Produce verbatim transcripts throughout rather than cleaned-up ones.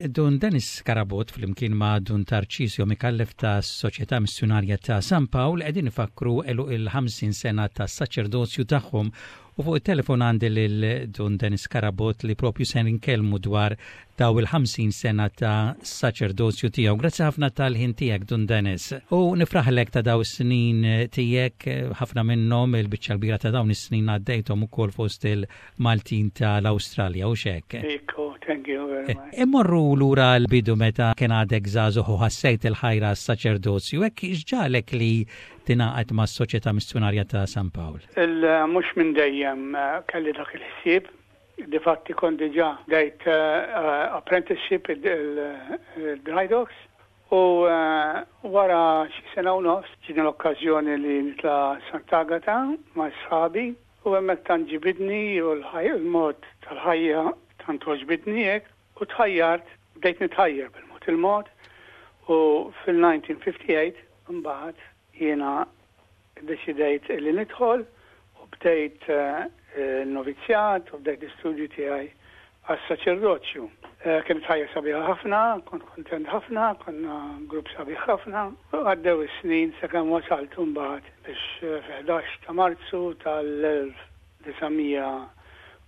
Dun Dennis Carabott flimkien ma' Dun Tarcisio Micallef ta' Soċjetà Missjunarja ta' San Pawl qegħdin ifakru għeluq il-ħamsin sena ta' saċerdozju tagħhom u fuq it-telefon għandi lil Dun Dennis Carabott li propju se nkellmu dwar daw il-ħamsin sena ta' saċerdozju tiegħu. Grazzi ħafna tal-ħin tiegħek, Dun Dennis. U nifraħlek ta' daw is-snin tiegħek, ħafna minnhom, il-biċċa kbira ta' dawn is-snin, għaddejthom ukoll fost il-Maltin tal-Awstralja u hekk. Ekku, thank you very much. Immorru lura l-bidu, meta kien għadek żagħżugħ u ħassejt il-ħajra s-saċerdozju, hekk x'ġagħlek li tingħaqad ma' Soċjetà Missjunarja ta' San Pawl? Mhux minn dejjem eh, kelli dak il-ħsieb. Difatti kont diġà bdejt uh, apprenticeship il-Dry Docks u uh, wara xi sena u nofs ġietni l-okkażjoni li nitla' Sant'Agata ma' sħabi u hemmhekk tant ġibidni u l-mod tal-ħajja tant ġibidni hekk u tħajjart, bdejt nitħajjar bil-mod il-mod u fil-elf disa' mija u ħamsa u ħamsin mbagħad jiena deċidejt li nidħol u bdejt il-novizzjat u bdejt l-istudju tiegħi għas-saċerdozju. Kienet ħajja sabiħa ħafna, kont kontent ħafna, konna grupp sabiħ ħafna. Għaddew is-snin sakemm wasalt mbagħad biex fi ħdax ta' Marzu tal-elf disa' mija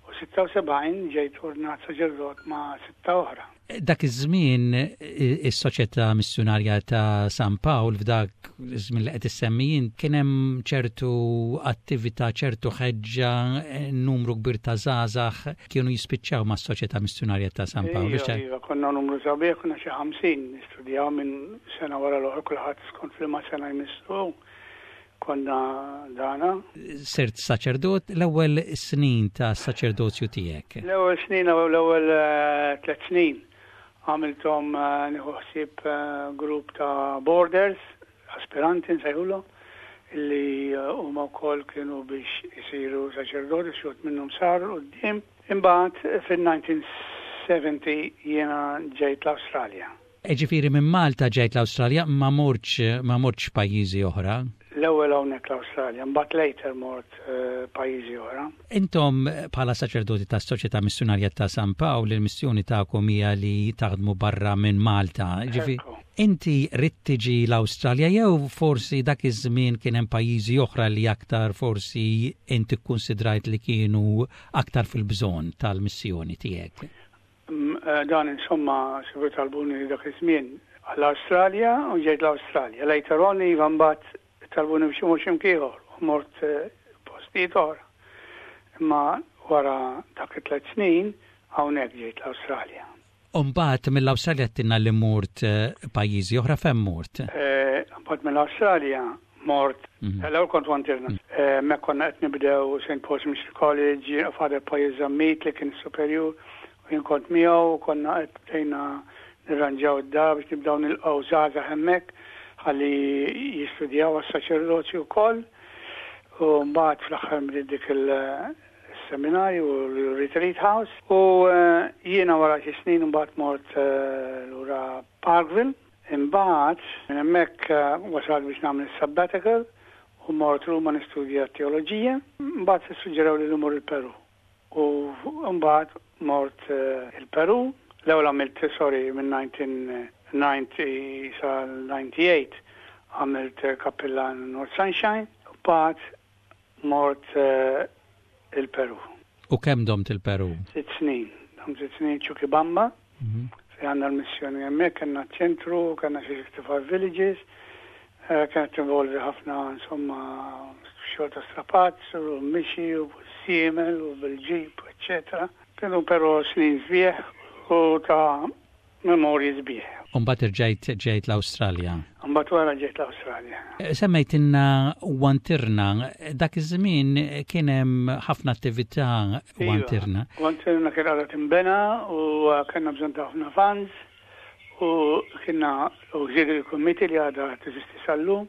u sitta u sebgħin ġejt ordnat saċerdot ma' sitta oħra. Dak iż-żmien is-Soċjetà Missjunarja ta' San Pawl, f'dak iż-żmien li qed issemmi, kien hemm ċertu attività, ċertu ħeġġa, numru kbir ta' żgħażagħ kienu jispiċċaw mas-Soċjetà Missjunarja ta' San Pawl. Iva, iva, konna numru sabiħ, konna xi ħamsin nistudjaw minn sena wara l-oħra, kulħadd skont f'liema sena jmissu konna dana. Sirt saċerdot, l-ewwel snin ta' saċerdozju tiegħek? L-ewwel snin, l-ewwel tliet snin għamilthom nieħu ħsieb grupp ta' boarders, aspiranti nsejħulhom, illi huma wkoll kienu biex isiru saċerdoti, xi minnhom saru quddiem. Imbagħad fil-elf disa' mija u sebgħin jiena ġejt l-Awstralja. Ġifieri minn Malta ġejt l-Awstralja, ma mortx ma mortx pajjiżi oħra? L-ewwel hawnhekk l-Awstralja, mbagħad later mort pajjiżi oħra. Intom bħala saċerdoti ta' Soċjetà Missjunarja ta' San Pawl, il-missjoni tagħkom hija li taħdmu barra minn Malta. Ġifieri inti ridt tiġi l-Awstralja jew forsi dak iż-żmien kien hemm pajjiżi oħra li aktar forsi inti kkunsidrajt li kienu aktar fil-bżonn tal-missjoni tiegħek? Dan insomma, sibu talbuni dak iż-żmien għall-Awstralja u ġejt l-Awstralja. Later on, iva, mbagħad talbuni biex imur x'imkien ieħor u mort postijiet oħra. Imma wara dak it-tliet snin hawnhekk ġejt l-Awstralja. Umbagħad mill-Awstralja għedtilna li mort pajjiżi oħra, fejn mort? Mbagħad mill-Awstralja mort, l-ewwel kont Wantirna. Hemmhekk konna qed nibdew Saint Paul's Mission College, Father Pius Zammit li kien superjur, u jien kont miegħu, konna qed bdejna nirranġaw id-dar biex nibdew nilqgħu żgħażagħ hemmhekk ħalli jistudjaw għas-saċerdozju wkoll. U mbagħad fl-aħħar bdiet dik il-seminarju u l-retreat house. U jiena wara xi snin mbagħad mort lura Parkville. Imbagħad minn hemmhekk wasal biex nagħmel sabbatical u mort Ruma nistudja teoloġija. Mbagħad suġġerew li mmur il-Peru. U mbagħad mort il-Peru. L-ewwel għamilt, sorry, minn elf disa' mija u disgħin sa disgħa u disgħin għamilt kappillan North Sunshine, u mbagħad mort il-Peru. U kemm domt il-Peru? Sitt snin. Domt sitt snin Chuquibamba, fejn għandna l-missjoni hemmhekk, kellna ċentru, kellna xi sixty-five villages, kienet involvi ħafna, insomma, xogħol ta' strapazz, u mixi, u żiemel, u bil-ġip, eccetera. Kienu però snin sbieħ u ta' memorji sbieħ. Umbagħad irġajt ġejt l-Awstralja. Umbagħad wara ġejt l-Awstralja. Semmejtilna Wantirna, dak iż-żmien kien hemm ħafna attività Wantirna. Wantirna kien għadha tinbena u kellna bżonn ta' ħafna funds u kienna Auxiliary Committee li għadha teżisti sal-lum,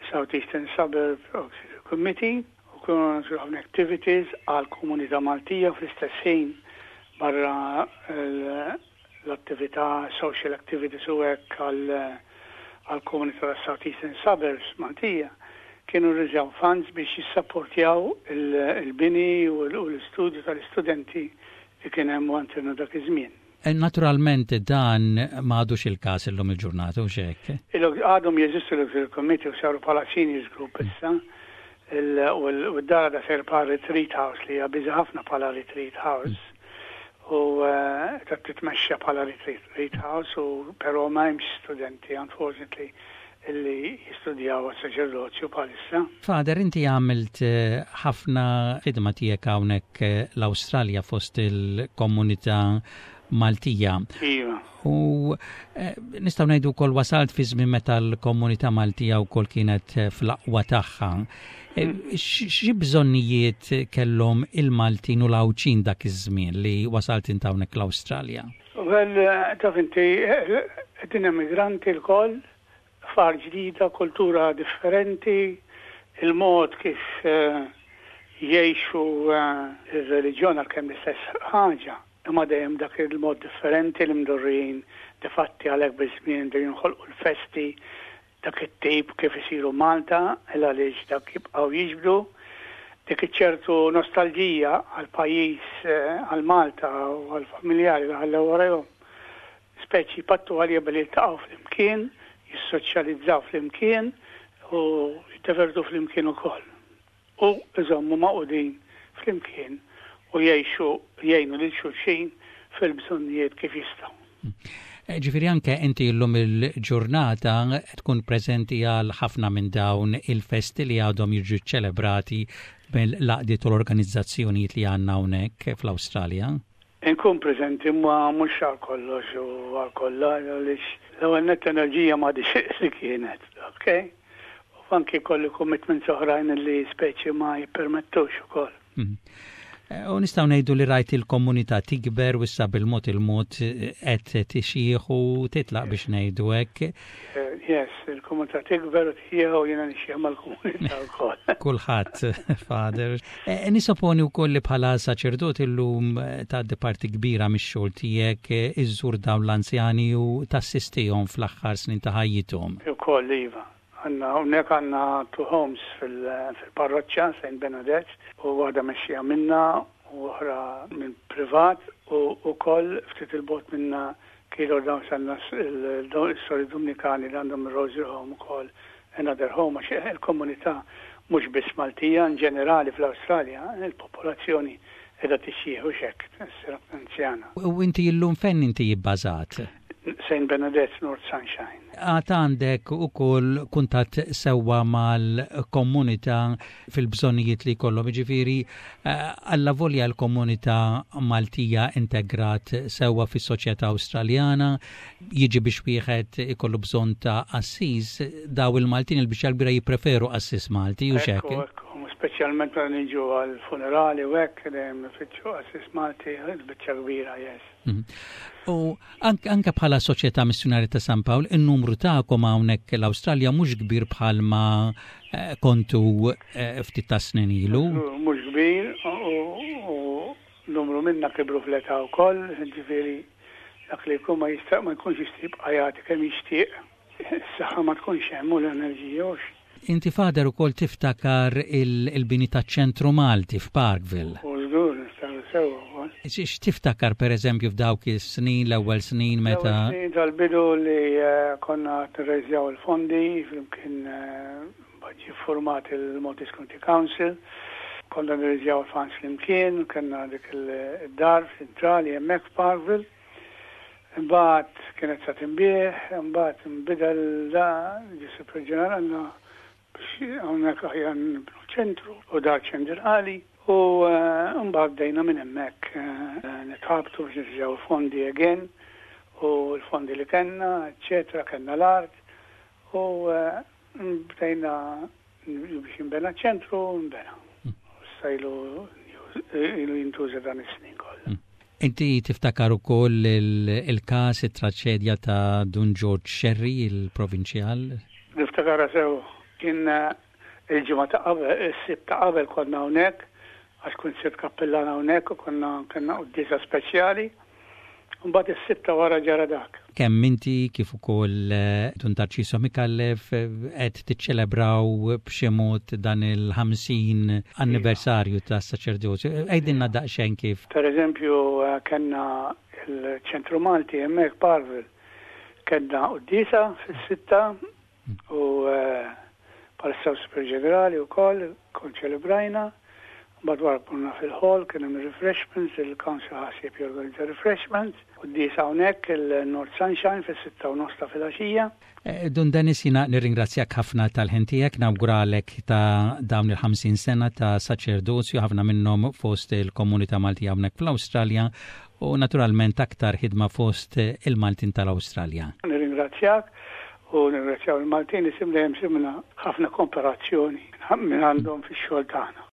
South Eastern Suburb Auxiliary Committee, u kienu ħafna activities għal komunità Maltija fl-istess ħin barra l-attività, social activities u hekk għal komunità ta' South Eastern Suburbs Maltija, kienu rriżjaw funds biex jissapportjaw il-bini u l-istudju tal-istudenti li kien hemm Wantirna dak iż-żmien. Eh, naturalment dan m'għadux il-każ illum il-ġurnata, hux hekk? Għadhom jeżistu l-Auxiliary Committee u saru bħala seniors group issa. U d-dara da sar bħala retreat house, li hija busy ħafna bħala retreat house. U eh, ta' titmexxa bħala retreat house, u però ma hemmx studenti, unfortunately, illi jistudjaw għas-saċerdozju bħalissa. Father, inti għamilt eh, ħafna ħidma tiegħek hawnhekk eh, l-Awstralja fost il-komunità Maltija. Iva. U eh, nistgħu ngħidu wkoll wasalt fi żmien meta l-komunità Maltija wkoll kienet fl-aqwa tagħha. Mm. Xi bżonnijiet kellhom il-Maltin u l-Għawdxin dak iż-żmien li wasalt int hawnhekk l-Awstralja? Well, taf inti, din immigranti lkoll, f'art ġdida, kultura differenti, il-mod kif uh, jgħixu uh, il-reliġjon, għalkemm l-istess ħaġa, imma dejjem dak il-mod differenti li mdorrijin. Difatti għalhekk biż-żmien dejjem jinħolqu l-festi dak it-tip kif isiru Malta, il għaliex dak jibqgħu jiġbdu dik ċertu nostalġija għal pajjiż, eh, għal Malta u għal familjari li ħallew warajhom. Speċi pattu għalija billi jiltaqgħu flimkien, jissoċjalizzaw flimkien u jittevertu flimkien ukoll. U iżommu magħqudin flimkien u jgħixu, jgħinu lil xulxin fil-bżonnijiet kif jistgħu. Eh, ġifieri anke inti llum il-ġurnata tkun preżenti għal ħafna minn dawn il-festi li għadhom jiġu ċelebrati mill-għaqdiet u l-organizzazzjonijiet li għandna hawnhekk fl-Awstralja? Inkun preżenti, ma mhux għal kollox u għal kollha, għaliex l-ewwel net enerġija ma li kienet, ok? U anki kolli commitments oħrajn li speċi ma jippermettux ukoll. Mhm. Eh, u nistgħu ngħidu li rajt il-komunità tikber u issa bil-mod il-mod eh, qed tixjieħ u titlaq, biex ngħidu hekk. Eh, yes, il-komunità tikber u tixjieħ u jiena nixjieħ mal-komunità wkoll. Kulħadd, Father. Nissoponi wkoll li bħala saċerdot illum tgħaddi parti kbira mix-xogħol tiegħek iżżur dawn l-anzjani u tassistihom fl-aħħar snin ta' ħajjithom. Ukoll, iva. Għandna, hawnhekk għandna two homes fil-parroċċa, Saint Bernadette, u waħda mexxija minna u oħra minn privat, u wkoll ftit 'il bogħod minna kilo dawn sanna il-sori Dominikani li għandhom il-Rosary Home ukoll, another home, għax il-komunità mhux biss Maltija, in ġenerali fl-Awstralja, il-popolazzjoni qiegħda tixjieħ u xek, anzjana. U inti illum fejn inti ibbażat? Saint Bernadette, North Sunshine. Għad għandek ukoll kuntatt sewwa mal-komunità fil-bżonnijiet li kollhom, ġifieri eh, alla volja l-komunità Maltija integrat sewwa fis-soċjetà Awstraljana, jiġi biex wieħed ikollu bżonn ta' qassis, daw il-Maltin il-biċċa kbira jippreferu qassis Malti, hux hekk? Speċjalment meta niġu għal-funerali u hekk, dejjem ifittxu qassis Malti, il-biċċa kbira, yes. Mhm. U anke bħala Soċjetà Missjunarja ta' San Pawl, in-numru tagħkom hawnhekk l-Awstralja mhux kbir bħalma eh, kontu eh, ftit ta' snin ilu. Mhux kbir u numru minna kibru fl-età wkoll, ġifieri dak li jkun ma jista' ma jkunx jista' jibqa' jagħti kemm jixtieq. Is-saħħa ma tkunx hemm u l-enerġija. Inti, Father, ukoll tiftakar il-bini ta' ċentru Malti f'Parkville. U żgur, niftakar sewwa wkoll. X'tiftakar, per eżempju, f'dawk is-snin, l-ewwel snin meta? Snin tal-bidu li eh, konna nirrejżjaw il-fondi, flimkien eh, ġie format il-Maltese Community Council, konna nirrejżjaw il-funds flimkien, kellna dik il-dar ċentrali hemmhekk f'Parkville. Imbagħad kienet sa tinbiegħ, imbagħad nbidel da, ġie Superior għandna biex hawnhekk aħjar nibnu ċentru u dar ċentrali, u eh, mbagħad bdejna minn hemmhekk eh, nitħabtu biex nirrejżjaw fondi again u l-fondi li kellna, eċetera, kellna l-art u eh, bdejna biex nbena ċentru, nbena. Issa ilu ilu jintuża dan is-snin kollha. Mm. Inti tiftakar ukoll il-każ, it-traċedja ta' Dun George Scerri, il-provinċjal? Niftakarha sew. Kien eh, il-ġimgħa ta' qabel, is-Sibt ta' qabel konna hawnhekk, għax kont sirt kappillan hawnhekk u konna kellna quddiesa speċjali. Mbagħad is-Sibt ta' wara ġara dak. Kemm inti kif ukoll eh, Dun Tarċisio Micallef eh, qed tiċċelebraw b'xi mod dan il-ħamsin anniversarju tas-saċerdozju. Għidilna daqsxejn kif. Per eżempju, kellna il-Ċentru Malti hemmhekk Parkville kellna quddiesa fis-sitta u bħalissa Superior Ġenerali wkoll konċelebrajna. Mbagħad wara morna fil-hall, kien hemm refreshments, il-council ħasib jorganizza refreshments. Quddiesa hawnhekk il-North Sunshine fis-sitta u nofs ta' filgħaxija. Eh, Dun Dennis, jiena nirringrazzjak ħafna tal-ħin tiegħek, nawguralek ta' dawn il-ħamsin sena ta' saċerdozju, ħafna minnhom fost il-komunità Malti hawnhekk fl-Awstralja u naturalment aktar ħidma fost il-Maltin tal-Awstralja. Nirringrazzjak u nirringrazzjaw il-Maltin li sim dejjem simna ħafna kooperazzjoni minn għandhom fix-xogħol tagħna.